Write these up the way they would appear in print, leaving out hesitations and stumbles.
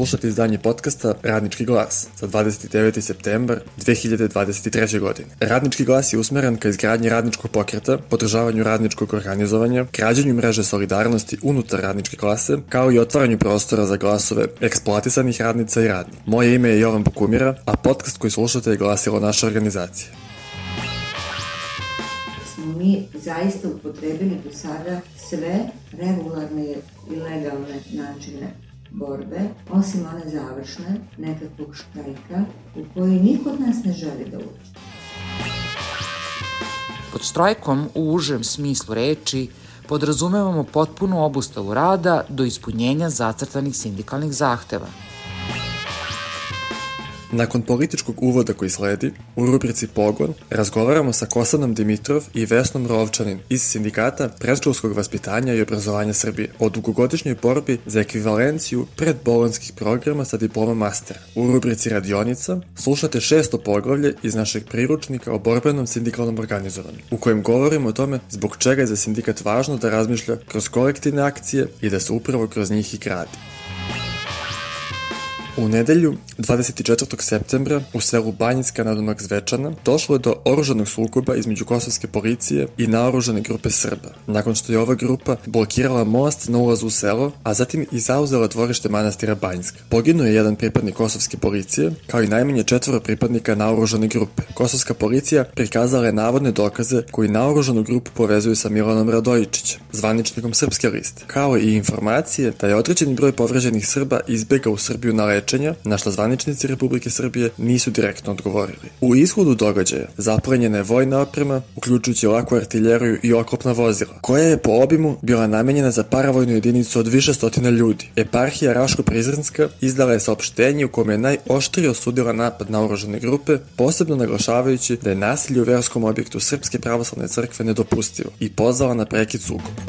slušate izdanje podcasta Radnički glas za 29. septembar 2023. godine. Radnički glas je usmeren ka izgradnji radničkog pokreta, podržavanju radničkog organizovanja, građenju mreže solidarnosti unutar radničke klase, kao i otvaranju prostora za glasove eksploatisanih radnica i radnika. Moje ime je Jovan Bukumira, a podcast koji slušate je glasilo naše organizacije. Smo mi zaista upotrebili do sada sve regularne i legalne načine borbe, osim one završne, nekakvog štrajka, u koji niko od nas ne želi da uđe. Pod štrajkom u užem smislu reči podrazumevamo potpunu obustavu rada do ispunjenja zacrtanih sindikalnih zahteva. Nakon političkog uvoda koji sledi, u rubrici Pogon razgovaramo sa Kosanom Dimitrov i Vesnom Rovčanin iz Sindikata predškolskog vaspitanja i obrazovanja Srbije o dugogodišnjoj borbi za ekvivalenciju predbolonjskih programa sa diplomom mastera. U rubrici Radionica slušate 6. poglavlje iz našeg priručnika o borbenom sindikalnom organizovanju, u kojem govorimo o tome zbog čega je za sindikat važno da razmišlja kroz kolektivne akcije i da se upravo kroz njih i gradi. U nedelju, 24. septembra, u selu Banjinska nadomak Zvečana, došlo je do oružanog sukoba između kosovske policije i naoružane grupe Srba, nakon što je ova grupa blokirala most na ulazu u selo, a zatim i zauzela dvorište manastira Banjska. Poginuo je jedan pripadnik kosovske policije, kao i najmanje 4 pripadnika naoružane grupe. Kosovska policija prikazala je navodne dokaze koji naoružanu grupu povezuju sa Milanom Radojičićem, zvaničnikom Srpske liste, kao i informacije da je određeni broj povređenih Srba izbegao u Srbiju na lečenja, na što zvaničnici Republike Srbije nisu direktno odgovorili. U ishodu događaja zaplenjena je vojna oprema, uključujući laku artiljeriju i oklopna vozila, koja je po obimu bila namenjena za paravojnu jedinicu od više stotina ljudi. Eparhija Raško-Prizrenska izdala je saopštenje u kome je najoštrije osudila napad na oružane grupe, posebno naglašavajući da je nasilje u verskom objektu Srpske pravoslavne crkve nedopustivo i pozvala na prekid sukoba.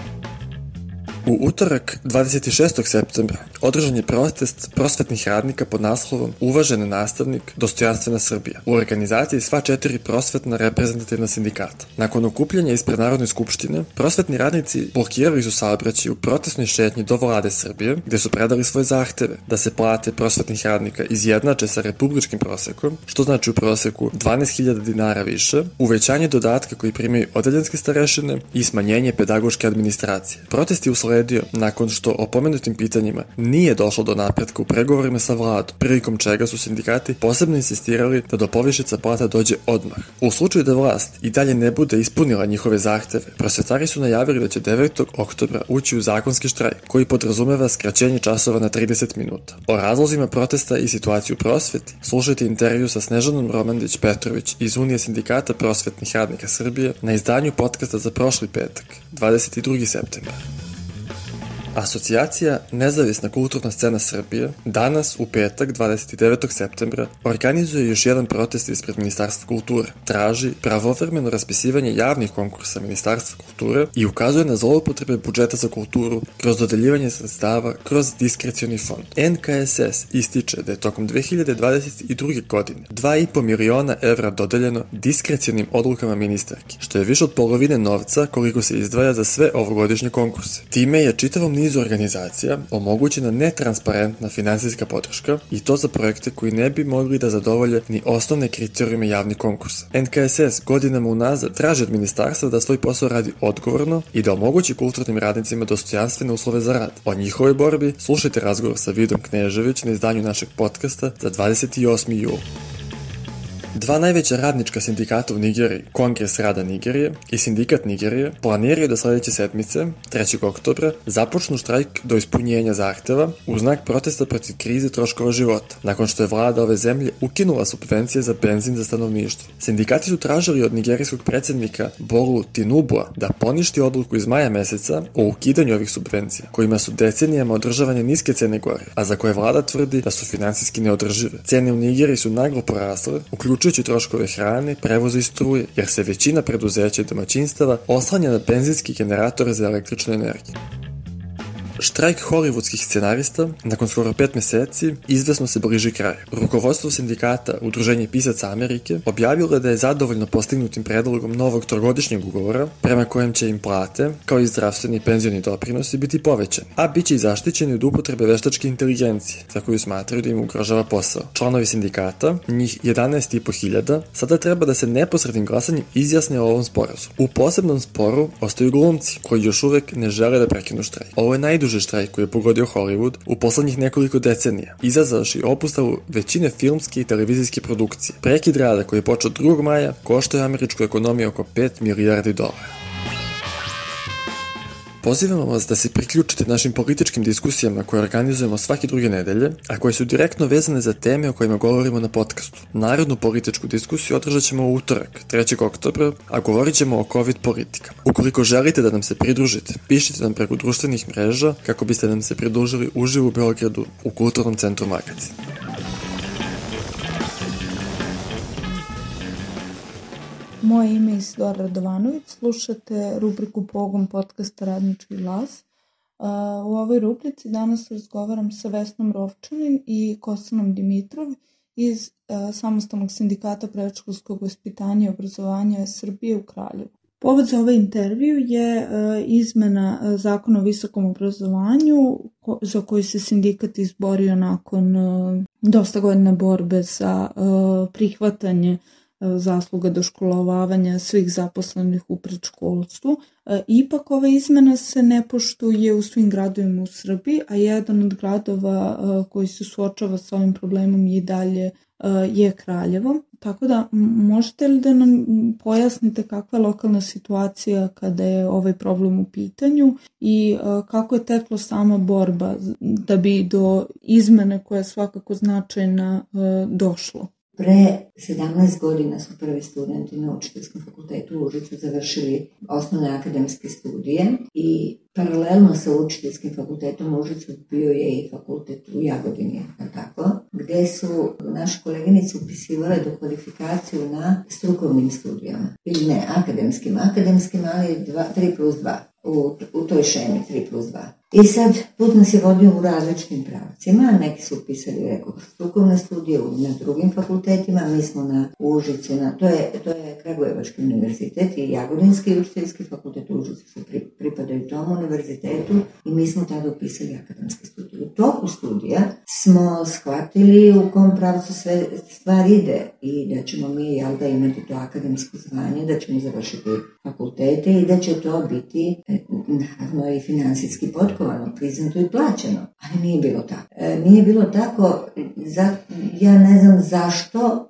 U utorak, 26. septembra, održan je protest prosvetnih radnika pod naslovom Uvaženi nastavnik, dostojanstvena Srbija u organizaciji sva 4 prosvetna reprezentativna sindikata. Nakon okupljanja ispred Narodne skupštine, prosvetni radnici blokirali su saobraćaj u protestnoj šetnji do vlade Srbije, gde su predali svoje zahteve da se plate prosvetnih radnika izjednače sa republičkim prosekom, što znači u proseku 12.000 dinara više, uvećanje dodatka koji primaju odeljenske starešine i smanjenje pedagoške administracije. Protest je usledio nakon što o pomenutim pitanjima nije došlo do napretka u pregovorima sa vladom, prilikom čega su sindikati posebno insistirali da do povišica plata dođe odmah. U slučaju da vlast i dalje ne bude ispunila njihove zahteve, prosvetari su najavili da će 9. oktobra ući u zakonski štrajk, koji podrazumeva skraćenje časova na 30 minuta. O razlozima protesta i situaciju u prosveti slušajte intervju sa Snežanom Romandić-Petrović iz Unije sindikata prosvetnih radnika Srbije na izdanju podcasta za prošli petak, 22. septembar. Asocijacija Nezavisna kulturna scena Srbije danas, u petak, 29. septembra, organizuje još jedan protest ispred Ministarstva kulture. Traži pravovremeno raspisivanje javnih konkursa Ministarstva kulture i ukazuje na zloupotrebe budžeta za kulturu kroz dodeljivanje sredstava kroz diskrecioni fond. NKSS ističe da je tokom 2022. godine 2,5 miliona evra dodeljeno diskrecionim odlukama ministarki, što je više od polovine novca koliko se izdvaja za sve ovogodišnje konkurse. Time je čitavom nizu organizacija omogućena netransparentna finansijska podrška i to za projekte koji ne bi mogli da zadovolje ni osnovne kriterijume javnih konkursa. NKSS godinama unazad traži od ministarstva da svoj posao radi odgovorno i da omogući kulturnim radnicima dostojanstvene uslove za rad. O njihovoj borbi slušajte razgovor sa Vidom Knežević na izdanju našeg podcasta za 28. jul. Dva najveća radnička sindikata u Nigeriji, Kongres rada Nigerije i Sindikat Nigerije, planiraju da sledeće sedmice, 3. oktobra, započnu štrajk do ispunjenja zahteva u znak protesta protiv krize troškova života, nakon što je vlada ove zemlje ukinula subvencije za benzin za stanovništvo. Sindikati su tražili od nigerijskog predsednika Bolu Tinubua da poništi odluku iz maja meseca o ukidanju ovih subvencija, kojima su decenijama održavane niske cene goriva, a za koje vlada tvrdi da su finansijski neodržive. Cene u Nigeriji su naglo porasle, uključujući troškove hrane, prevoza i struje, jer se većina preduzeća i domaćinstava oslanja na benzinski generator za električnu energiju. Štrajk hollywoodskih scenarista, nakon skoro 5 meseci, izvesno se bliži kraju. Rukovodstvo sindikata Udruženje pisaca Amerike objavilo je da je zadovoljno postignutim predlogom novog trogodišnjeg ugovora, prema kojem će im plate, kao i zdravstveni i penzioni doprinosi, biti povećani, a bit će i zaštićeni od upotrebe veštačke inteligencije, za koju smatraju da im ugrožava posao. Članovi sindikata, njih 11.500, sada treba da se neposrednim glasanjem izjasne o ovom sporazu. U posebnom sporu ostaju glumci, koji još uvek ne žele da prekinu štrajk. Ovo je najduži štrajk koji je pogodio Hollywood u poslednjih nekoliko decenija, izazvavši obustavu većine filmske i televizijske produkcije. Prekid rada koji je počeo 2. maja koštao je američku ekonomiju oko $5 milijardi. Pozivamo vas da se priključite našim političkim diskusijama koje organizujemo svake druge nedelje, a koje su direktno vezane za teme o kojima govorimo na podcastu. Narodnu političku diskusiju održat ćemo u utorak, 3. oktobra, a govorit ćemo o COVID politikama. Ukoliko želite da nam se pridružite, pišite nam preko društvenih mreža kako biste nam se pridružili uživo u Beogradu u Kulturnom centru Magazin. Moje ime je Isidora Radovanović, slušate rubriku Pogon podcasta Radnički glas. U ovoj rubrici danas razgovaram sa Vesnom Rovčanin i Kostanom Dimitrov iz Samostalnog sindikata predškolskog vaspitanja i obrazovanja Srbije u Kraljevu. Povod za ovaj intervju je izmena Zakona o visokom obrazovanju za koji se sindikat izborio nakon dosta godina borbe za prihvatanje zasluga doškolovavanja svih zaposlenih u predškolstvu. Ipak ova izmena se ne poštuje u svim gradovima u Srbiji, a jedan od gradova koji se suočava sa ovim problemom i dalje je Kraljevo. Tako da možete li da nam pojasnite kakva je lokalna situacija kada je ovaj problem u pitanju i kako je teklo sama borba da bi do izmene koja je svakako značajna došlo? Pre 17 godina su prvi studenti na Učiteljskom fakultetu u Užicu završili osnovne akademske studije i paralelno sa Učiteljskim fakultetom u Užicu bio je i fakultet u Jagodini, tako, gde su naše koleginice upisivale do kvalifikaciju na strukovnim studijama. Ili ne, akademskim, ali 3+2. U toj šemi 3+2. I sad, put nas je vodio u različitim pravcima, neki su upisali, rekao, strukovne studije na drugim fakultetima, mi smo na Užicu, to je Kragujevački univerzitet i Jagodinski učiteljski fakultet u Užicu su pripadaju tom univerzitetu i mi smo tada upisali akademske studije. U toku studija smo shvatili u kom pravcu sve stvar ide i da ćemo mi, imati to akademsko zvanje, da ćemo završiti fakultete i da će to biti naravno i finansijski potkovano, priznato i plaćeno. Ali nije bilo tako. Nije bilo tako, ja ne znam zašto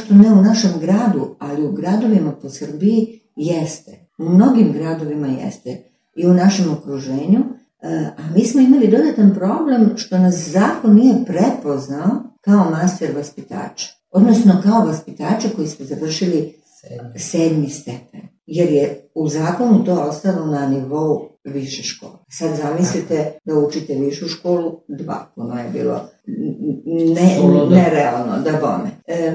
ne u našem gradu, ali u gradovima po Srbiji jeste. U mnogim gradovima jeste i u našem okruženju, a mi smo imali dodatan problem što nas zakon nije prepoznao kao master vaspitača, odnosno kao vaspitača koji su završili 7. stepen. Jer je u zakonu to ostalo na nivou više škole. Sad zamislite da učite višu školu, 2, ono je bilo nerealno, da bome.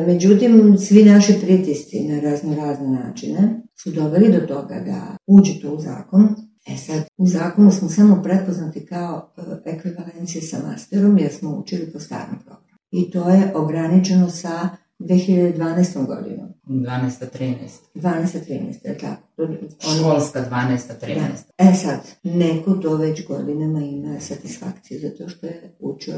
Međutim, svi naši pritisci na razne načine su doveli do toga da uđe to u zakon. Sad, u zakonu smo samo prepoznati kao ekvivalencije sa masterom jer smo učili po starom programu. I to je ograničeno sa 2012. godinom. 12-13, tako. Školska 12-13. Sad, neko to već godinama ima satisfakciju zato što je učio,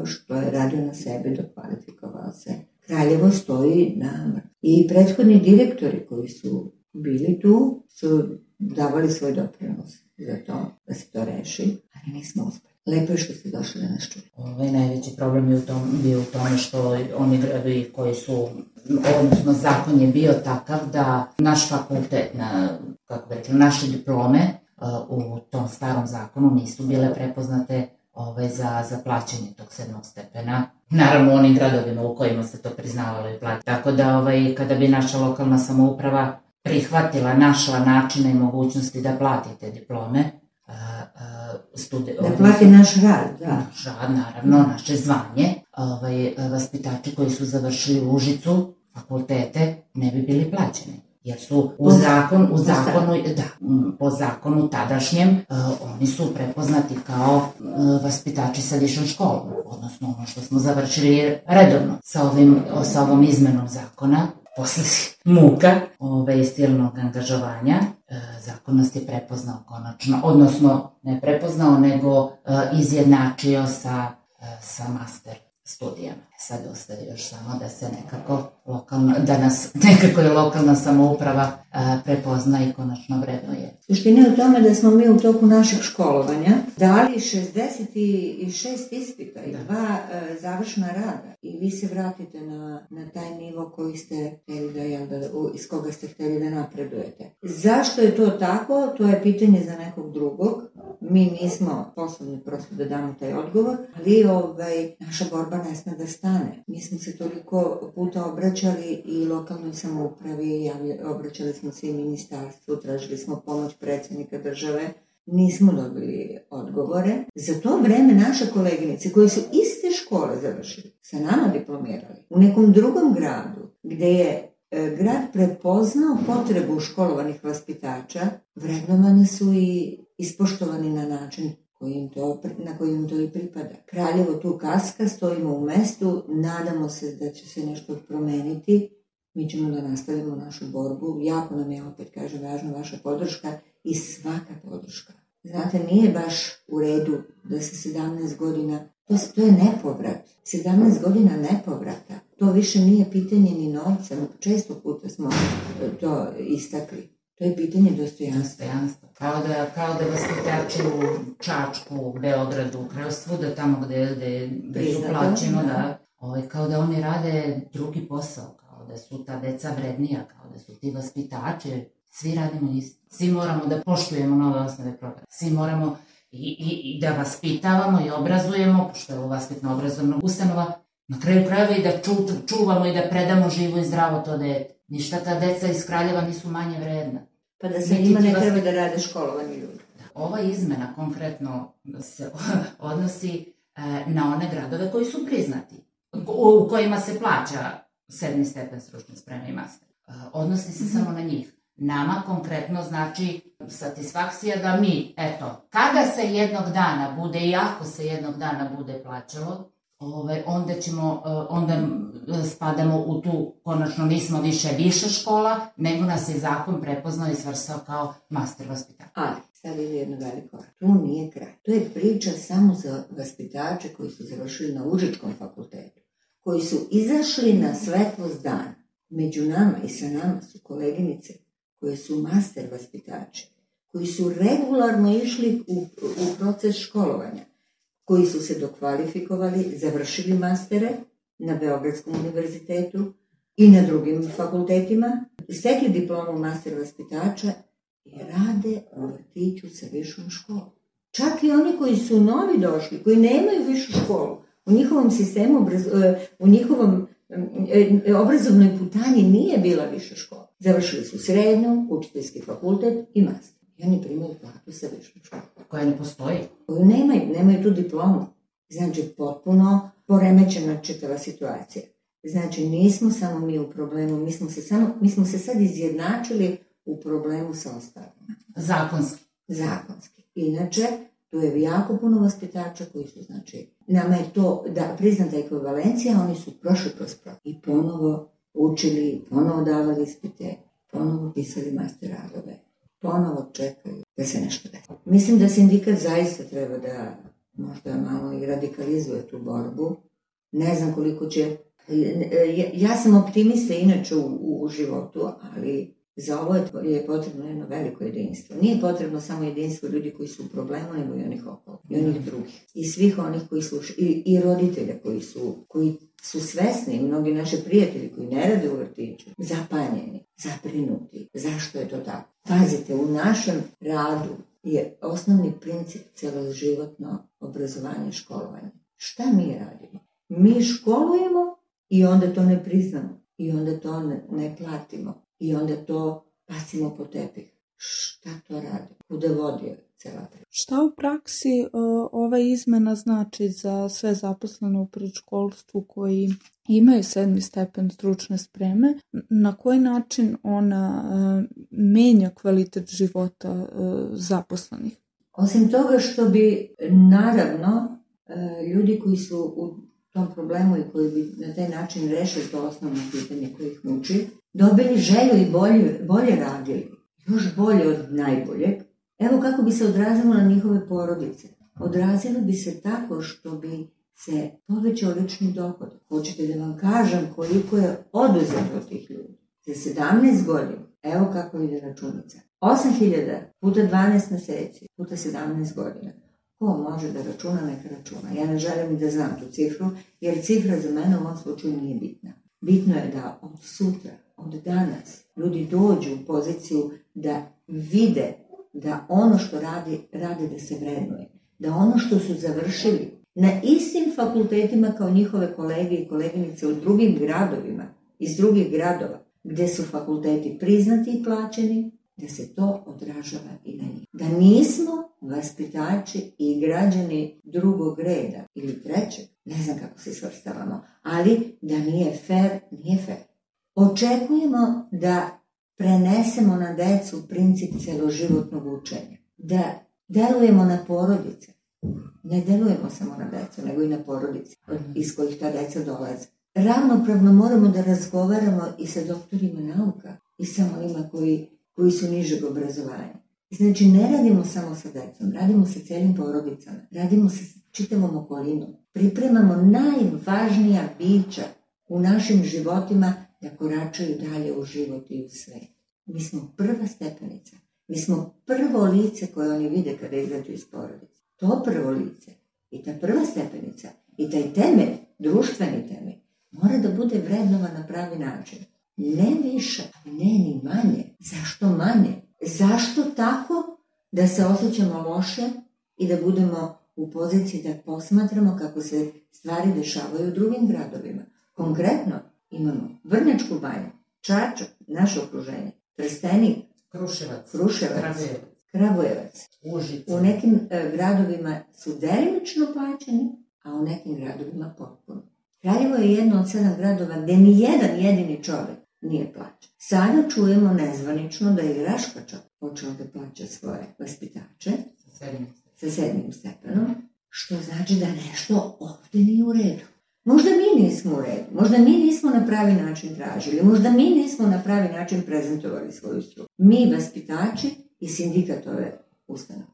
što je radio na sebi, dokvalifikovao se. Kraljevo stoji na mrtvu. I prethodni direktori koji su bili tu su davali svoj doprinos za to da se to reši, ali nismo uspeli. Lepo je što ste došli da nas čuli. Najveći problem je bio u tome što oni gradovi koji su, odnosno zakon je bio takav da naš fakultet, naše diplome u tom starom zakonu nisu bile prepoznate za plaćanje tog 7. stepena. Naravno, u onim gradovima u kojima se to priznavalo i plaćanje. Tako da kada bi naša lokalna samouprava našla načine i mogućnosti da plati te diplome, da plati naš rad, da. Naš rad, naravno, naše zvanje. Vaspitači koji su završili u Užicu fakultete ne bi bili plaćeni. jer su po zakonu tadašnjem oni su prepoznati kao vaspitači sa višom školom, odnosno ono što smo završili redovno sa ovom izmenom zakona. Posle muka i silnog angažovanja, zakon nas je prepoznao konačno, odnosno ne prepoznao, nego izjednačio sa master studijama. Sad ostaje još samo da se da nas nekako je lokalna samouprava prepozna i konačno vrednuje. Suština je u tome da smo mi u toku našeg školovanja dali 66 ispita i 2 završna rada i vi se vratite na taj nivo koji ste hteli iz koga ste hteli da napredujete. Zašto je to tako? To je pitanje za nekog drugog. Mi nismo poslovni prosto da damo taj odgovor, ali naša borba ne sme da stane. Mi smo se toliko puta obraćali i lokalnoj samoupravi, obraćali smo se i ministarstvu, tražili smo pomoć predsjednika države, nismo dobili odgovore. Za to vreme naše koleginice koje su iste škole završili, sa nama diplomirali, u nekom drugom gradu gde je grad prepoznao potrebu školovanih vaspitača, vrednovani su i ispoštovani na način na koji im to i pripada. Kraljevo tu kaska, stojimo u mestu, nadamo se da će se nešto promeniti, mi ćemo da nastavimo našu borbu, jako nam je, opet kažem, važna vaša podrška i svaka podrška. Znate, nije baš u redu da se 17 godina, to je nepovrat, 17 godina nepovrata, to više nije pitanje ni novca, često puta smo to istakli. To je pitanje dostojanstva. Kao da vaspitači u Čačku, Beogradu, svuda tamo gde su plaćeno, kao da oni rade drugi posao, kao da su ta deca vrednija, kao da su ti vaspitači, svi radimo isto. Svi moramo da poštujemo nove osnove programa. Svi moramo i da vaspitavamo i obrazujemo, pošto je ovo vaspitno-obrazovna ustanova, na kraju krajeva i da čuvamo i da predamo živo i zdravo to dete. Ništa ta deca iz Kraljeva nisu manje vredna. Pa da se njima ne treba da rade školovani ljudi. Ova izmena konkretno se odnosi na one gradove koji su priznati, u kojima se plaća 7. stepen stručne spreme i master. Odnosi se samo na njih. Nama konkretno znači satisfakcija da mi, kada se jednog dana bude i ako se jednog dana bude plaćalo, onda spadamo u tu, konačno nismo više viša škola, nego nas je zakon prepoznao i svrstao kao master vaspitač. Ali, sad je jedno veliko. Tu nije kraj. To je priča samo za vaspitače koji su završili na Užičkom fakultetu, koji su izašli na svetlost dana. Među nama i sa nama su koleginice koje su master vaspitači, koji su regularno išli u proces školovanja, koji su se dokvalifikovali, završili mastere na Beogradskom univerzitetu i na drugim fakultetima, stekli diplomu master vaspitača i rade u vrtiću sa višom školom. Čak i oni koji su novi došli, koji nemaju višu školu, u njihovom sistemu, u njihovom obrazovnoj putanji nije bila viša škola. Završili su srednju, učiteljski fakultet i master. I oni primaju platu sa višom školom. Koja ne postoji. Koju nemaju tu diplomu. Znači, potpuno poremećena čitava situacija. Znači, nismo samo mi u problemu, mi smo se sad izjednačili u problemu sa ostalima. Zakonski. Inače, tu je jako puno vaspitača koji su, znači, nama je to da priznata ekvivalencija, oni su prošli kroz i ponovo učili, ponovo davali ispite, ponovo pisali master radove, ponovo čekaju da se nešto desi. Mislim da sindikat zaista treba da možda malo i radikalizuje tu borbu. Ne znam koliko će... Ja sam optimista inače u životu, ali za ovo je potrebno jedno veliko jedinstvo. Nije potrebno samo jedinstvo ljudi koji su u problemu, nego i onih okolo, i onih drugih. I svih onih koji slušaju, i roditelja koji su svesni, mnogi naši prijatelji koji ne rade u vrtiću, zapanjeni, zabrinuti. Zašto je to tako? Pazite, u našem radu je osnovni princip celoživotno obrazovanje i školovanje. Šta mi radimo? Mi školujemo i onda to ne priznamo. I onda to ne platimo. I onda to bacimo po tepih. Šta to radi? Kuda vodi? cela priča. Šta u praksi ova izmena znači za sve zaposlene u predškolstvu koji imaju 7. stepen stručne spreme? Na koji način ona menja kvalitet života zaposlenih? Osim toga što bi, naravno, ljudi koji su u tom problemu i koji bi na taj način rešili to osnovno pitanje koje ih muči, dobili želju i bolje radili, još bolje od najboljeg. Evo kako bi se odrazilo na njihove porodice. Odrazilo bi se tako što bi se povećao lični dohodak. Hoćete da vam kažem koliko je oduzeto od tih ljudi? Za 17 godina, evo kako ide računica. 8.000 puta 12 meseci, puta 17 godina. Ko može da računa, neka računa. Ja ne želim da znam tu cifru, jer cifra za mene u ovom slučaju nije bitna. Bitno je da od sutra, od danas, ljudi dođu u poziciju da vide da ono što rade da se vrednuje. Da ono što su završili na istim fakultetima kao njihove kolege i koleginice u drugim gradovima, iz drugih gradova, gde su fakulteti priznati i plaćeni, da se to odražava i na njih. Da nismo vaspitači i građani drugog reda ili trećeg, ne znam kako se svrstavamo, ali da nije fair, nije fair. Očekujemo da prenesemo na decu princip celoživotnog učenja, da delujemo na porodice. Ne delujemo samo na decu, nego i na porodice iz kojih ta deca dolaze. Ravnopravno moramo da razgovaramo i sa doktorima nauka i sa onima koji su nižeg obrazovanja. Znači, ne radimo samo sa decom, radimo sa celim porodicama, radimo sa čitavom okolinom. Pripremamo najvažnija bića u našim životima da koračaju dalje u život i u svet. Mi smo prva stepenica. Mi smo prvo lice koje oni vide kada izađu iz porodice. To prvo lice i ta prva stepenica i taj temelj, društveni temelj, mora da bude vrednovan na pravi način. Ne više, ali ne ni manje. Zašto manje? Zašto tako da se osjećamo loše i da budemo u poziciji da posmatramo kako se stvari dešavaju u drugim gradovima? Konkretno imamo Vrnjačku banju, Čačak, naše okruženje, Trstenik, Kruševac, Kragujevac. Užice. U nekim gradovima su delimično plaćeni, a u nekim gradovima potpuno. Kraljevo je jedno od 7 gradova gde ni jedan jedini čovek nije plaćen. Sada čujemo nezvanično da je Raška čak počela da plaća svoje vaspitače sa 7. stepenom, što znači da nešto ovde nije u redu. Možda mi nismo u redu, možda mi nismo na pravi način tražili, možda mi nismo na pravi način prezentovali svoju struku. Mi, vaspitači i sindikat ove ustanove.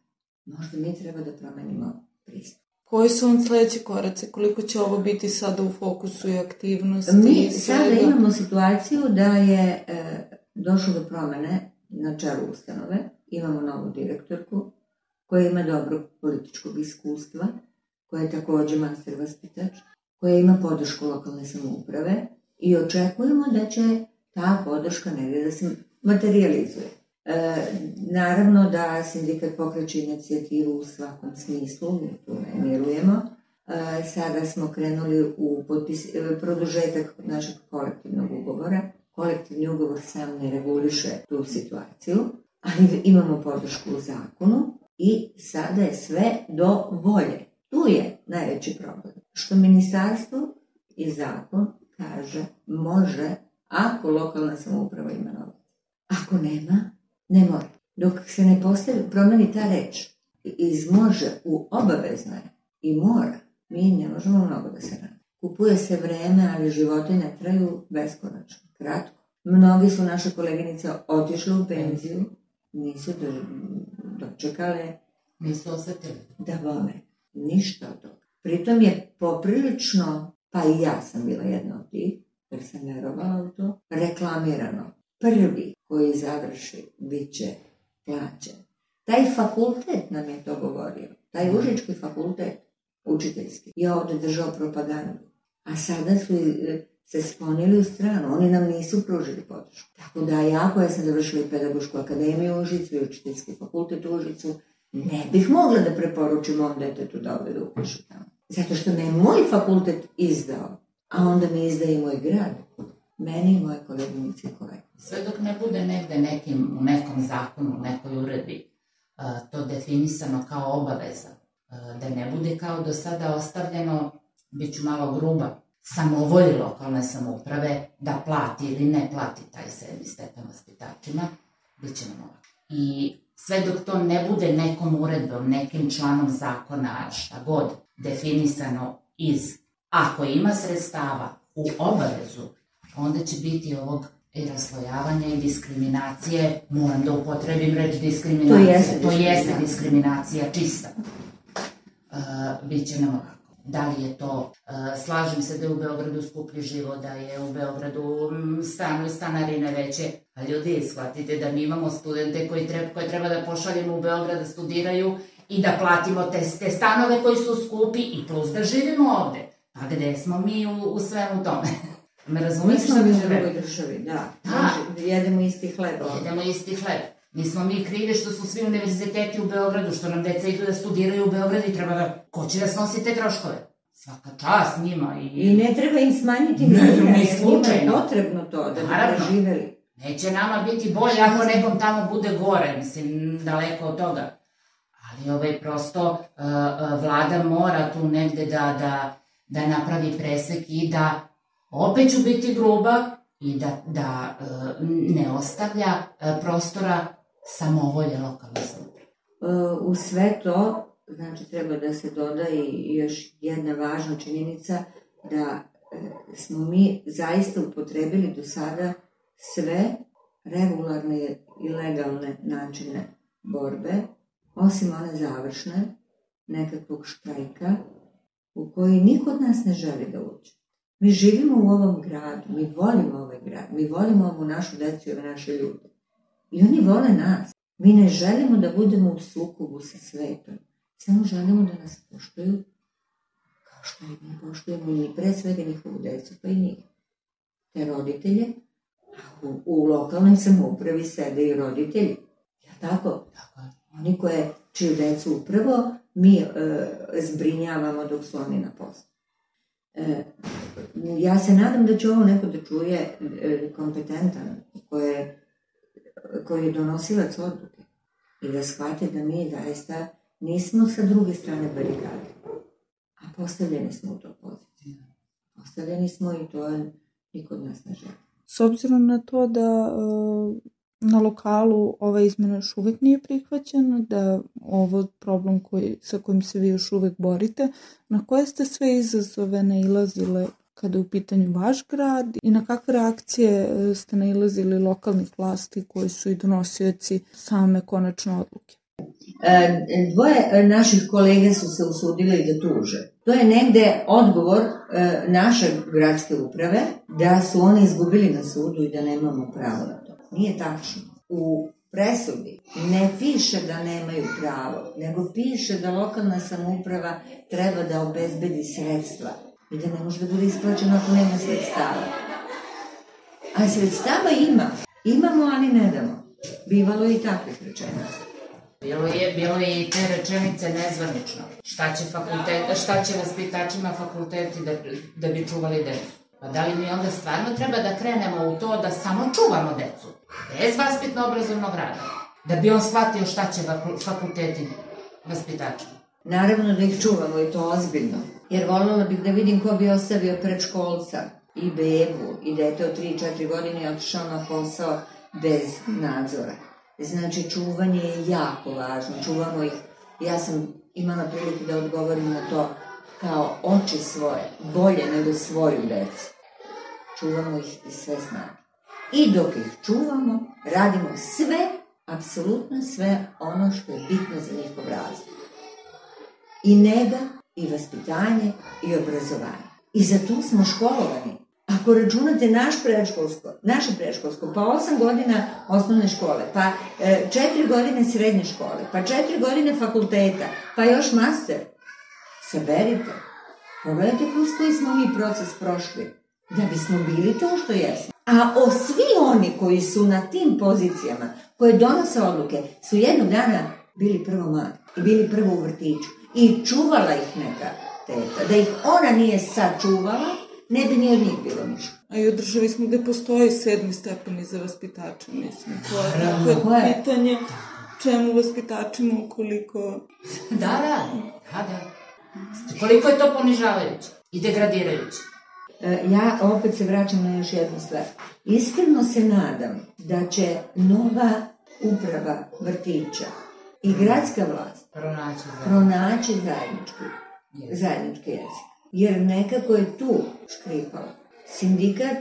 Možda mi treba da promenimo pristup. Koji su vam sledeći koraci? Koliko će ovo biti sada u fokusu i aktivnosti? Mi sada imamo situaciju da je došlo do promene na čelu ustanove. Imamo novu direktorku koja ima dobro političkog iskustva, koja je takođe master vaspitač, koja ima podršku lokalne samouprave i očekujemo da će ta podrška negdje da se materializuje. Naravno da sindikat pokreće inicijativu u svakom smislu, mi tu ne mirujemo. Sada smo krenuli u produžetak našeg kolektivnog ugovora. Kolektivni ugovor sam ne reguliše tu situaciju, ali imamo podršku u zakonu i sada je sve do volje. Tu je najveći problem. Što ministarstvo i zakon kaže može ako lokalna samouprava ima novac. Ako nema, ne mora. Dok se ne promeni ta reč iz može u obavezno je i mora, mi ne možemo mnogo da se radi. Kupuje se vreme, ali životi ne traju beskonačno, kratko. Mnogi su naše koleginice otišle u penziju, nisu dočekale, nisu osetili da vole. Ništa od toga. Pritom je poprilično, pa i ja sam bila jedna od tih, jer sam verovala u to, reklamirano. Prvi koji završi bit će plaćen. Taj fakultet nam je to govorio. Taj Užički fakultet, učiteljski, je ovde držao propagandu. A sada su se sklonili u stranu. Oni nam nisu pružili podršku. Tako da ja koja sam završila i pedagošku akademiju u Užicu i učiteljski fakultet u Užicu, ne bih mogla da preporučim ovom detetu da ovde da upiše tamo. Zato što me je moj fakultet izdao, a onda mi izdaje i moj grad. Meni i moje koleginice i kolege. Sve dok ne bude negde u nekom zakonu, u nekoj uredbi, to definisano kao obaveza, da ne bude kao do sada ostavljeno, bit ću malo gruba, samovolji lokalne samouprave da plati ili ne plati taj 7. stepen vaspitačima, bit će nam ovako. I sve dok to ne bude nekom uredbom, nekim članom zakona, šta god, definisano ako ima sredstava u obavezu, onda će biti ovog i raslojavanja i diskriminacije, moram da upotrebim reč diskriminacija, to jeste diskriminacija čista. Biće nam ovako. Da li je to, slažem se da je u Beogradu skuplji život, da je u Beogradu stanarine veće, a ljudi, shvatite da mi imamo studente koje treba da pošaljemo u Beograd da studiraju i da platimo te stanove koji su skupi i plus da živimo ovde. Pa gde smo mi u svemu tome? Me razumiješ šta bi želeo? Mi smo u drugoj državi, da. Jedemo isti hleb. Jedemo isti hleb. Nismo mi krivi što su svi univerziteti u Beogradu, što nam deca idu da studiraju u Beogradu i treba da... Ko će da snosi te troškove? Svaka čast njima i... I ne treba im smanjiti njima, jer njima je potrebno to da bi preživeli. Neće nama biti bolje ako nekom tamo bude gore, mislim, daleko od toga. Ali prosto vlada mora tu negde da napravi presek i da, opet ću biti gruba, i da ne ostavlja prostora samovolje lokalne samouprave. U sve to, znači, treba da se doda i još jedna važna činjenica, da smo mi zaista upotrebili do sada sve regularne i legalne načine borbe, osim one završne, nekakvog štrajka, u koji niko od nas ne želi da uđe. Mi živimo u ovom gradu, mi volimo ovaj grad, mi volimo ovu našu decu i ove naše ljude. I oni vole nas. Mi ne želimo da budemo u sukobu sa svetom. Samo želimo da nas poštuju kao što ih mi poštujemo i mi pre svega njihovu decu, pa i njih. Te roditelje, a u lokalnoj samoupravi sede i roditelji. Ja tako? Oni čiju decu upravo mi zbrinjavamo dok su oni na poslu. Ja se nadam da će ovo neko da čuje kompetentan, koji je donosilac odluke i da shvate da mi zaista nismo sa druge strane barikade, a postavljeni smo u to poziciju. Postavljeni smo i to niko od nas ne želi. S obzirom na to da na lokalu ova izmena još uvek nije prihvaćena, da ovo problem sa kojim se vi još uvek borite, na koje ste sve izazove nailazile kada je u pitanju vaš grad i na kakve reakcije ste nailazili lokalnih vlasti koji su i donosioci same konačne odluke? Dvoje naših kolega su se usudili da tuže. To je negde odgovor naše gradske uprave da su oni izgubili na sudu i da nemamo pravo na to. Nije tačno. U presudi ne piše da nemaju pravo, nego piše da lokalna samouprava treba da obezbedi sredstva i da ne može da bude isplaćeno ako nema sredstava. A sredstava imamo, ali ne damo. Bivalo je i takvih rečenica. Bilo je i te rečenice nezvanično. Šta će vaspitačima fakulteti da bi čuvali decu? Pa da li mi onda stvarno treba da krenemo u to da samo čuvamo decu, bez vaspitno-obrazovnog rada, da bi on shvatio šta će fakulteti vaspitačima? Naravno da ih čuvamo i to ozbiljno, jer voljela bih da vidim ko bi ostavio predškolca i bebu i dete od 3-4 godine i otišao na posao bez nadzora. Znači, čuvanje je jako važno, čuvamo ih. Ja sam imala priliku da odgovorim na to kao oči svoje, bolje nego svoju decu. Čuvamo ih iz sve snage. I dok ih čuvamo, radimo sve, apsolutno sve ono što je bitno za njihov razvoj. I nega, i vaspitanje, i obrazovanje. I za to smo školovani. Ako računate naše predškolsko, pa 8 godina osnovne škole, pa 4 godine srednje škole, pa 4 godine fakulteta, pa još master, saberite. Pogledajte kroz koji smo mi proces prošli, da bismo bili to što jesmo. A svi oni koji su na tim pozicijama, koje donose odluke, su jednog dana bili prvo mladi i bili prvo u vrtiću i čuvala ih neka teta. Da ih ona nije sačuvala, ne bi ni od njih bilo ništa. A i u državi smo gde postoji 7. stepeni za vaspitača, mislim. To je pitanje čemu vaspitačima ukoliko... Da. Koliko je to ponižavajuće i degradirajuće? Ja opet se vraćam na još jednu stvar. Iskreno se nadam da će nova uprava vrtića i gradska vlast pronaći zajednički jezik. Jer nekako je tu škripalo. Sindikat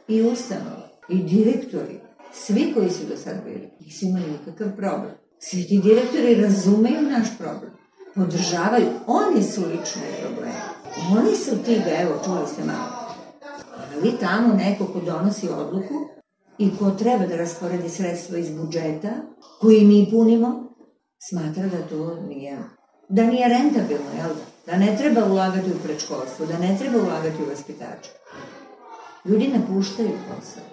i ustanova i direktori, svi koji su do sad bili, nisu imali nikakav problem. Svi ti direktori razumeju naš problem. Podržavaju. Oni su lične probleme. Oni su ti da, evo, čuli ste malo. Ali tamo neko ko donosi odluku i ko treba da rasporedi sredstva iz budžeta, koji mi punimo, smatra da to nije rentabilno, jel da? Da ne treba ulagati u predškolstvo, da ne treba ulagati u vaspitače. Ljudi napuštaju posao.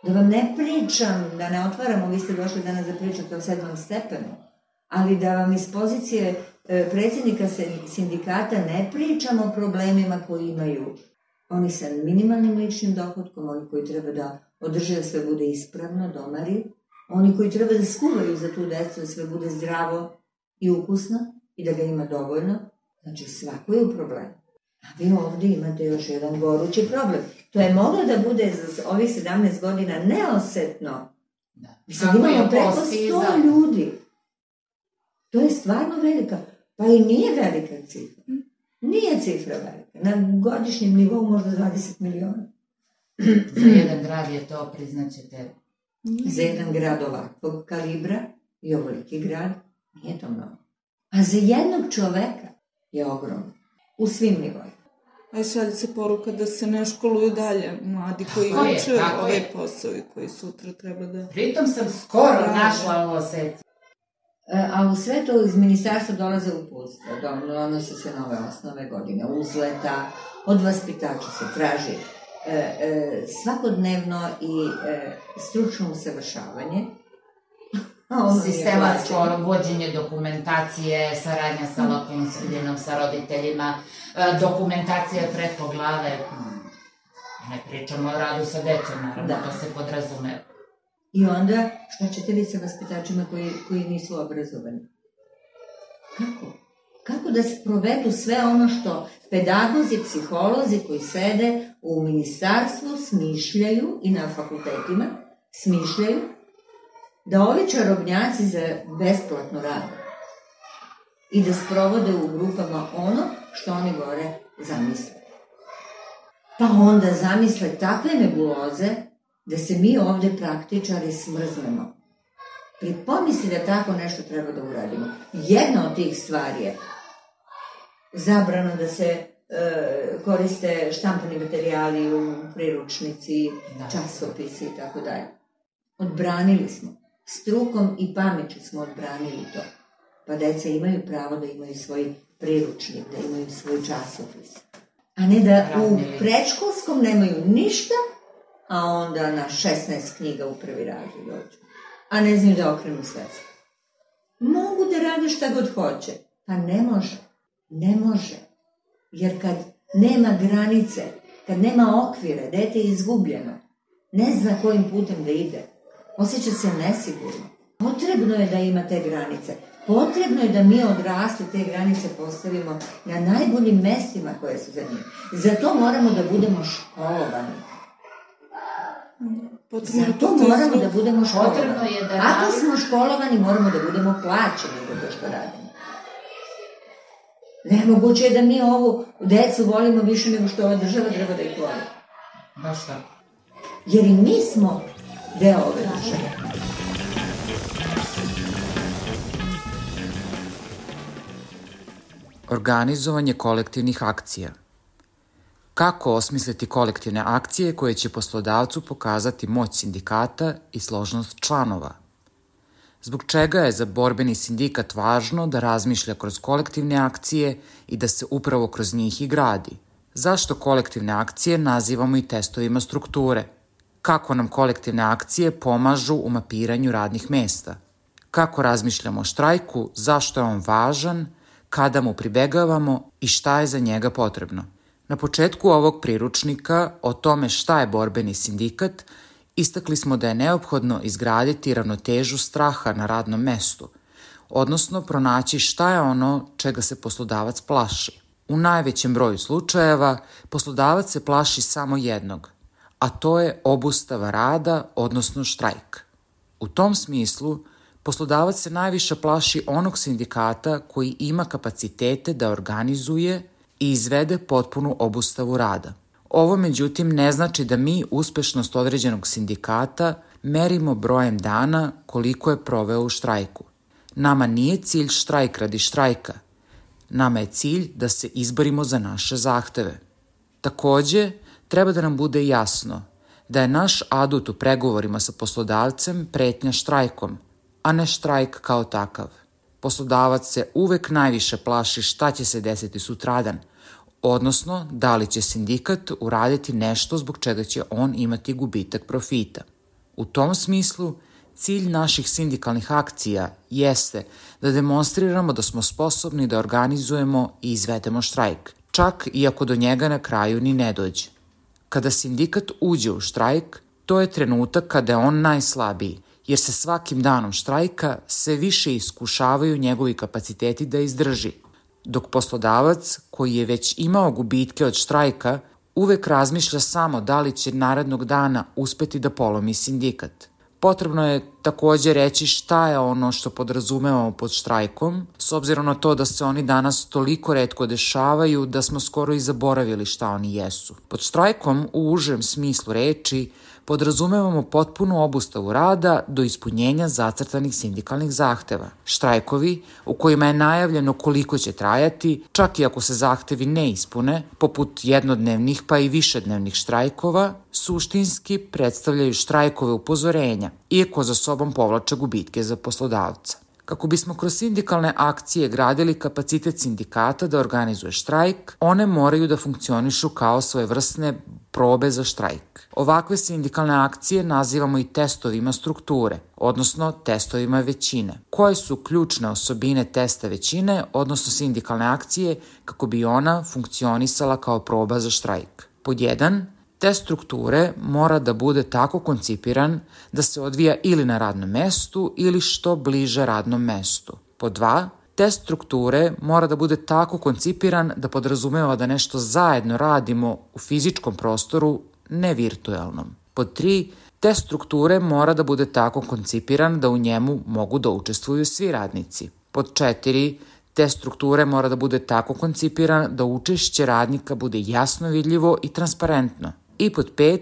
Da vam ne pričam, da ne otvaramo, vi ste došli danas da pričate o 7. stepenu, ali da vam iz pozicije predsjednika sindikata ne pričamo o problemima koji imaju oni sa minimalnim ličnim dohodkom, oni koji treba da održe da sve bude ispravno, domari, oni koji treba da skuvaju za tu decu da sve bude zdravo i ukusno i da ga ima dovoljno. Znači, svako je u problemu. A vi ovdje imate još jedan gorući problem. To je moglo da bude za ovih 17 godina neosetno. Mi sad imamo preko 100 ljudi. To je stvarno velika. Pa i nije velika cifra. Nije cifra velika. Na godišnjem nivou možda 20 miliona. Za jedan grad je to, priznaćete? Za jedan grad ovakvog kalibra i ovoliki grad nije to mnogo. A za jednog čoveka je ogromno. U svim nivoima. A šalje se poruka da se ne školuju dalje mladi koji uče ove posao i koji sutra treba da... Pritom sam skoro našla ovo sec. A u sve to iz ministarstva dolaze uputstva, donose se nove osnove godine, uzleta, od vaspitača se traži svakodnevno i stručno usavršavanje. Sistematsko vođenje dokumentacije, saradnja sa lokalnim sredinom, sa roditeljima, dokumentacija preko glave. Ne pričamo o radu sa decom, naravno, to se podrazume. I onda, šta ćete vi sa vaspitačima koji nisu obrazovani? Kako? Kako da se provedu sve ono što pedagozi, psiholozi koji sede u ministarstvu smišljaju i na fakultetima smišljaju da ovi čarobnjaci za besplatno rade i da sprovode u grupama ono što oni gore zamisle. Pa onda zamisle takve nebuloze da se mi ovde praktičari smrznemo. Pomisli da tako nešto treba da uradimo. Jedna od tih stvari je zabrano da se koriste štampani materijali u priručnici, časopisi i tako dalje. Odbranili smo. Strukom i pameću smo odbranili to. Pa deca imaju pravo da imaju svoj priručnik, da imaju svoj časopis. A ne da u predškolskom nemaju ništa, a onda na 16 knjiga u prvi razred dođu. A ne znaju da okrenu svetsko. Mogu da rade šta god hoće. Pa ne može. Ne može. Jer kad nema granice, kad nema okvire, dete je izgubljeno, ne zna kojim putem da ide, osjeća se nesigurno. Potrebno je da ima te granice. Potrebno je da mi odrasli te granice postavimo na najboljim mestima koje su za njih. Zato moramo da budemo školovani. Zato moramo da budemo školovani. Ako smo školovani, moramo da budemo plaćeni za to što radimo. Nemoguće je da mi ovu decu volimo više nego što ova država treba da ih voli. Baš tako. Jer i mi smo deo ove države. Organizovanje kolektivnih akcija. Kako osmisliti kolektivne akcije koje će poslodavcu pokazati moć sindikata i složnost članova? Zbog čega je za borbeni sindikat važno da razmišlja kroz kolektivne akcije i da se upravo kroz njih i gradi? Zašto kolektivne akcije nazivamo i testovima strukture? Kako nam kolektivne akcije pomažu u mapiranju radnih mesta? Kako razmišljamo o štrajku, zašto je on važan, kada mu pribegavamo i šta je za njega potrebno? Na početku ovog priručnika o tome šta je borbeni sindikat Istakli smo da je neophodno izgraditi ravnotežu straha na radnom mestu, odnosno pronaći šta je ono čega se poslodavac plaši. U najvećem broju slučajeva poslodavac se plaši samo jednog, a to je obustava rada, odnosno štrajk. U tom smislu, poslodavac se najviše plaši onog sindikata koji ima kapacitete da organizuje i izvede potpunu obustavu rada. Ovo, međutim, ne znači da mi uspešnost određenog sindikata merimo brojem dana koliko je proveo u štrajku. Nama nije cilj štrajk radi štrajka. Nama je cilj da se izborimo za naše zahteve. Takođe, treba da nam bude jasno da je naš adut u pregovorima sa poslodavcem pretnja štrajkom, a ne štrajk kao takav. Poslodavac se uvek najviše plaši šta će se desiti sutradan, odnosno da li će sindikat uraditi nešto zbog čega će on imati gubitak profita. U tom smislu, cilj naših sindikalnih akcija jeste da demonstriramo da smo sposobni da organizujemo i izvedemo štrajk, čak i ako do njega na kraju ni ne dođe. Kada sindikat uđe u štrajk, to je trenutak kada je on najslabiji, jer se svakim danom štrajka sve više iskušavaju njegovi kapaciteti da izdrži, dok poslodavac, koji je već imao gubitke od štrajka, uvek razmišlja samo da li će narednog dana uspeti da polomi sindikat. Potrebno je takođe reći šta je ono što podrazumevamo pod štrajkom, s obzirom na to da se oni danas toliko retko dešavaju da smo skoro i zaboravili šta oni jesu. Pod štrajkom, u užem smislu reči, podrazumevamo potpunu obustavu rada do ispunjenja zacrtanih sindikalnih zahteva. Štrajkovi, u kojima je najavljeno koliko će trajati, čak i ako se zahtevi ne ispune, poput jednodnevnih pa i višednevnih štrajkova, suštinski predstavljaju štrajkove upozorenja, iako za sobom povlače gubitke za poslodavca. Kako bismo kroz sindikalne akcije gradili kapacitet sindikata da organizuje štrajk, one moraju da funkcionišu kao svojevrsne probe za štrajk. Ovakve sindikalne akcije nazivamo i testovima strukture, odnosno testovima većine. Koje su ključne osobine testa većine, odnosno sindikalne akcije, kako bi ona funkcionisala kao proba za štrajk? Pod 1. Test strukture mora da bude tako koncipiran da se odvija ili na radnom mestu ili što bliže radnom mestu. Pod 2. Test strukture mora da bude tako koncipiran da podrazumeva da nešto zajedno radimo u fizičkom prostoru, ne virtuelnom. Pod 3. Test strukture mora da bude tako koncipiran da u njemu mogu da učestvuju svi radnici. Pod 4. Test strukture mora da bude tako koncipiran da učešće radnika bude jasno vidljivo i transparentno. I pod 5.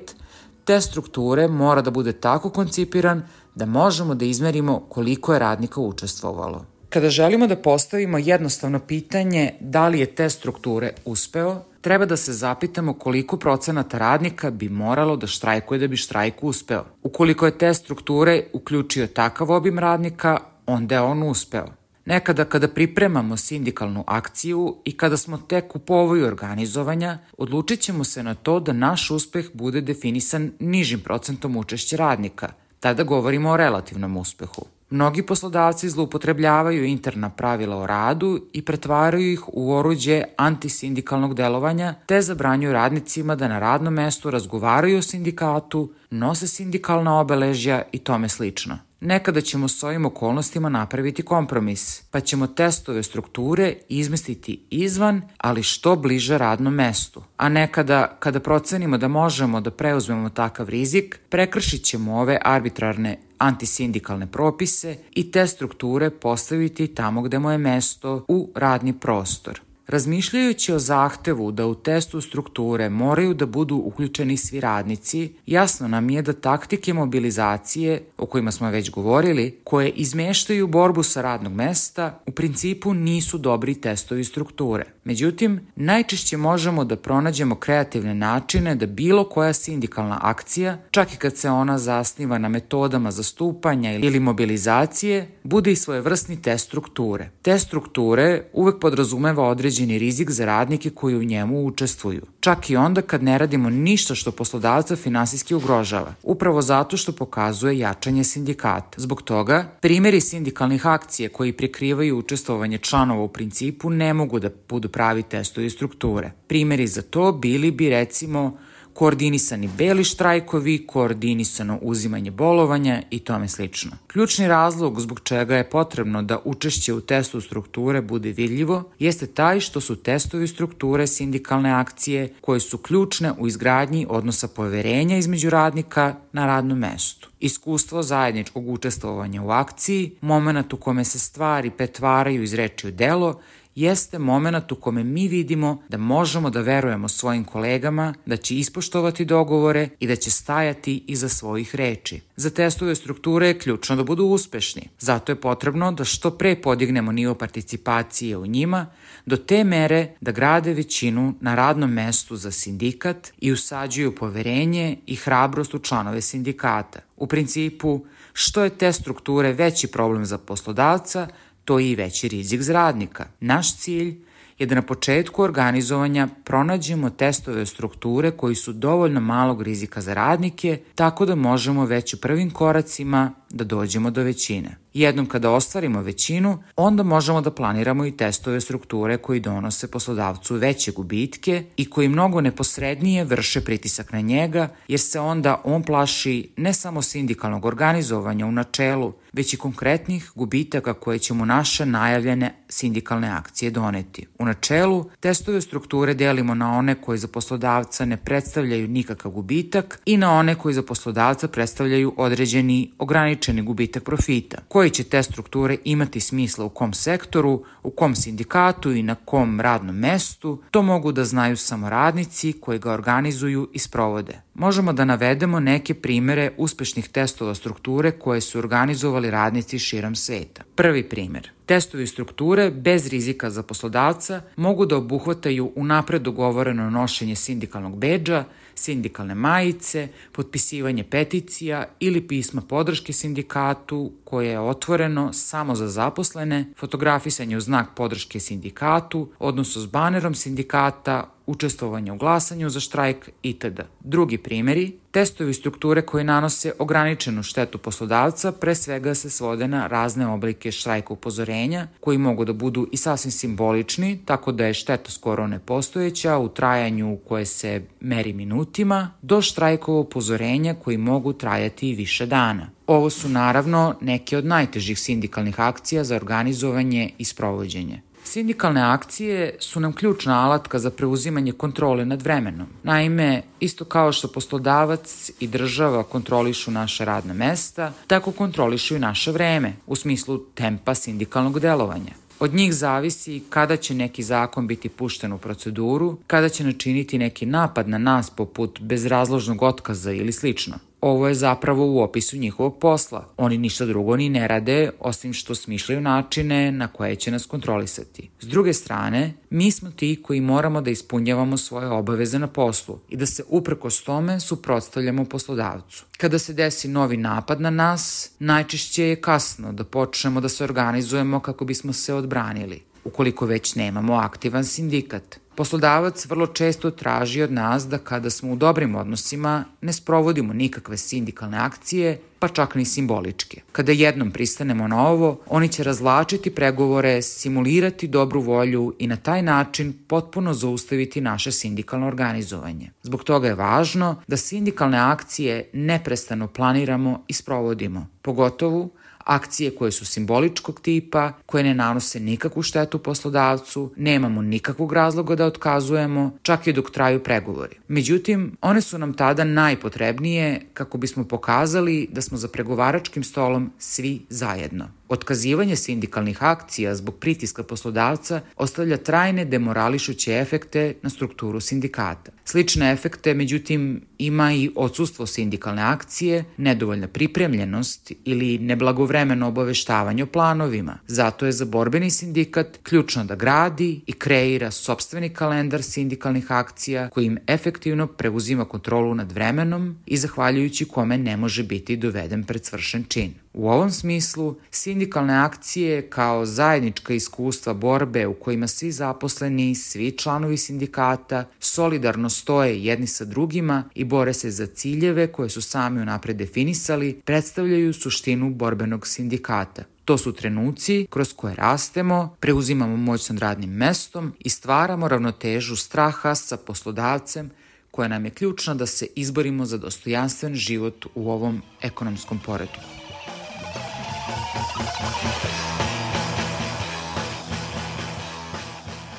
Test strukture mora da bude tako koncipiran da možemo da izmerimo koliko je radnika učestvovalo. Kada želimo da postavimo jednostavno pitanje da li je test strukture uspeo, treba da se zapitamo koliko procenata radnika bi moralo da štrajkuje da bi štrajk uspeo. Ukoliko je test strukture uključio takav obim radnika, onda je on uspeo. Nekada kada pripremamo sindikalnu akciju i kada smo tek u povoju organizovanja, odlučit ćemo se na to da naš uspeh bude definisan nižim procentom učešća radnika. Tada govorimo o relativnom uspehu. Mnogi poslodavci zloupotrebljavaju interna pravila o radu i pretvaraju ih u oruđe antisindikalnog delovanja, te zabranjuju radnicima da na radnom mestu razgovaraju o sindikatu, nose sindikalna obeležja i tome slično. Nekada ćemo s ovim okolnostima napraviti kompromis, pa ćemo testove strukture izmestiti izvan, ali što bliže radnom mestu. A nekada, kada procenimo da možemo da preuzmemo takav rizik, prekršit ćemo ove arbitrarne antisindikalne propise i te strukture postaviti tamo gde mu je mesto, u radni prostor. Razmišljajući o zahtevu da u testu strukture moraju da budu uključeni svi radnici, jasno nam je da taktike mobilizacije, o kojima smo već govorili, koje izmeštaju borbu sa radnog mesta, u principu nisu dobri testovi strukture. Međutim, najčešće možemo da pronađemo kreativne načine da bilo koja sindikalna akcija, čak i kad se ona zasniva na metodama zastupanja ili mobilizacije, bude i svojevrsni test strukture. Test strukture uvek podrazumeva određeni rizik za radnike koji u njemu učestvuju. Čak i onda kad ne radimo ništa što poslodavca finansijski ugrožava, upravo zato što pokazuje jačanje sindikata. Zbog toga, primjeri sindikalnih akcija koji prikrivaju učestvovanje članova u principu ne mogu da budu pravi testovi strukture. Primjeri za to bili bi recimo koordinisani beli štrajkovi, koordinisano uzimanje bolovanja i tome slično. Ključni razlog zbog čega je potrebno da učešće u testu strukture bude vidljivo jeste taj što su testovi strukture sindikalne akcije koje su ključne u izgradnji odnosa poverenja između radnika na radnom mestu. Iskustvo zajedničkog učestvovanja u akciji, moment u kome se stvari pretvaraju iz reči u delo, jeste moment u kome mi vidimo da možemo da verujemo svojim kolegama, da će ispoštovati dogovore i da će stajati iza svojih reči. Za testove strukture je ključno da budu uspešni. Zato je potrebno da što pre podignemo nivo participacije u njima, do te mere da grade većinu na radnom mestu za sindikat i usađuju poverenje i hrabrost u članove sindikata. U principu, što je test strukture veći problem za poslodavca, to je i veći rizik za radnika. Naš cilj je da na početku organizovanja pronađemo testove strukture koji su dovoljno malog rizika za radnike, tako da možemo već u prvim koracima da dođemo do većine. Jednom kada ostvarimo većinu, onda možemo da planiramo i testove strukture koji donose poslodavcu veće gubitke i koji mnogo neposrednije vrše pritisak na njega, jer se onda on plaši ne samo sindikalnog organizovanja u načelu, već i konkretnih gubitaka koje će mu naše najavljene sindikalne akcije doneti. U načelu, testove strukture delimo na one koji za poslodavca ne predstavljaju nikakav gubitak i na one koji za poslodavca predstavljaju određeni ograničeni gubitak profita. Koji će test strukture imati smisla u kom sektoru, u kom sindikatu i na kom radnom mestu, to mogu da znaju samo radnici koji ga organizuju i sprovode. Možemo da navedemo neke primere uspešnih testova strukture koje su organizovali radnici širom sveta. Prvi primer. Testovi strukture bez rizika za poslodavca mogu da obuhvataju unapred dogovoreno nošenje sindikalnog bedža, sindikalne majice, potpisivanje peticija ili pisma podrške sindikatu koje je otvoreno samo za zaposlene, fotografisanje u znak podrške sindikatu, odnosno s banerom sindikata, učestvovanje u glasanju za štrajk itd. Drugi primjeri, testovi strukture koji nanose ograničenu štetu poslodavca pre svega se svode na razne oblike štrajka upozorenja koji mogu da budu i sasvim simbolični, tako da je šteta skoro nepostojeća u trajanju koje se meri minutima, do štrajkova upozorenja koji mogu trajati i više dana. Ovo su naravno neke od najtežih sindikalnih akcija za organizovanje i sprovođenje. Sindikalne akcije su nam ključna alatka za preuzimanje kontrole nad vremenom. Naime, isto kao što poslodavac i država kontrolišu naše radna mesta, tako kontrolišu i naše vreme, u smislu tempa sindikalnog delovanja. Od njih zavisi kada će neki zakon biti pušten u proceduru, kada će načiniti neki napad na nas poput bezrazložnog otkaza ili slično. Ovo je zapravo u opisu njihovog posla. Oni ništa drugo ni ne rade, osim što smišljaju načine na koje će nas kontrolisati. S druge strane, mi smo ti koji moramo da ispunjavamo svoje obaveze na poslu i da se uprkos tome suprotstavljamo poslodavcu. Kada se desi novi napad na nas, najčešće je kasno da počnemo da se organizujemo kako bismo se odbranili, ukoliko već nemamo aktivan sindikat. Poslodavac vrlo često traži od nas da kada smo u dobrim odnosima ne sprovodimo nikakve sindikalne akcije, pa čak ni simboličke. Kada jednom pristanemo na ovo, oni će razvlačiti pregovore, simulirati dobru volju i na taj način potpuno zaustaviti naše sindikalno organizovanje. Zbog toga je važno da sindikalne akcije neprestano planiramo i sprovodimo, pogotovo akcije koje su simboličkog tipa, koje ne nanose nikakvu štetu poslodavcu, nemamo nikakvog razloga da otkazujemo, čak i dok traju pregovori. Međutim, one su nam tada najpotrebnije kako bismo pokazali da smo za pregovaračkim stolom svi zajedno. Otkazivanje sindikalnih akcija zbog pritiska poslodavca ostavlja trajne demorališuće efekte na strukturu sindikata. Slične efekte, međutim, ima i odsustvo sindikalne akcije, nedovoljna pripremljenost ili neblagovremeno obaveštavanje o planovima. Zato je za borbeni sindikat ključno da gradi i kreira sopstveni kalendar sindikalnih akcija kojim efektivno preuzima kontrolu nad vremenom i zahvaljujući kome ne može biti doveden pred svršen čin. U ovom smislu, sindikalne akcije kao zajednička iskustva borbe u kojima svi zaposleni, svi članovi sindikata solidarno stoje jedni sa drugima i bore se za ciljeve koje su sami unapred definisali, predstavljaju suštinu borbenog sindikata. To su trenuci kroz koje rastemo, preuzimamo moć nad radnim mestom i stvaramo ravnotežu straha sa poslodavcem koja nam je ključna da se izborimo za dostojanstven život u ovom ekonomskom poretku.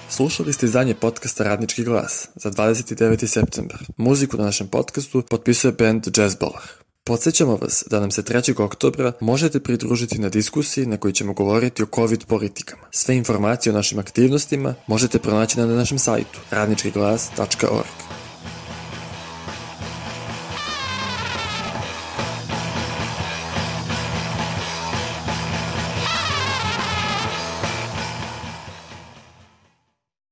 Slušali ste izdanje podcasta Radnički glas za 29. septembar. Muziku na našem podcastu potpisuje band Jazzbalah. Podsjećamo vas da nam se 3. oktobra možete pridružiti na diskusiji na kojoj ćemo govoriti o COVID politikama. Sve informacije o našim aktivnostima možete pronaći na našem sajtu radničkiglas.org.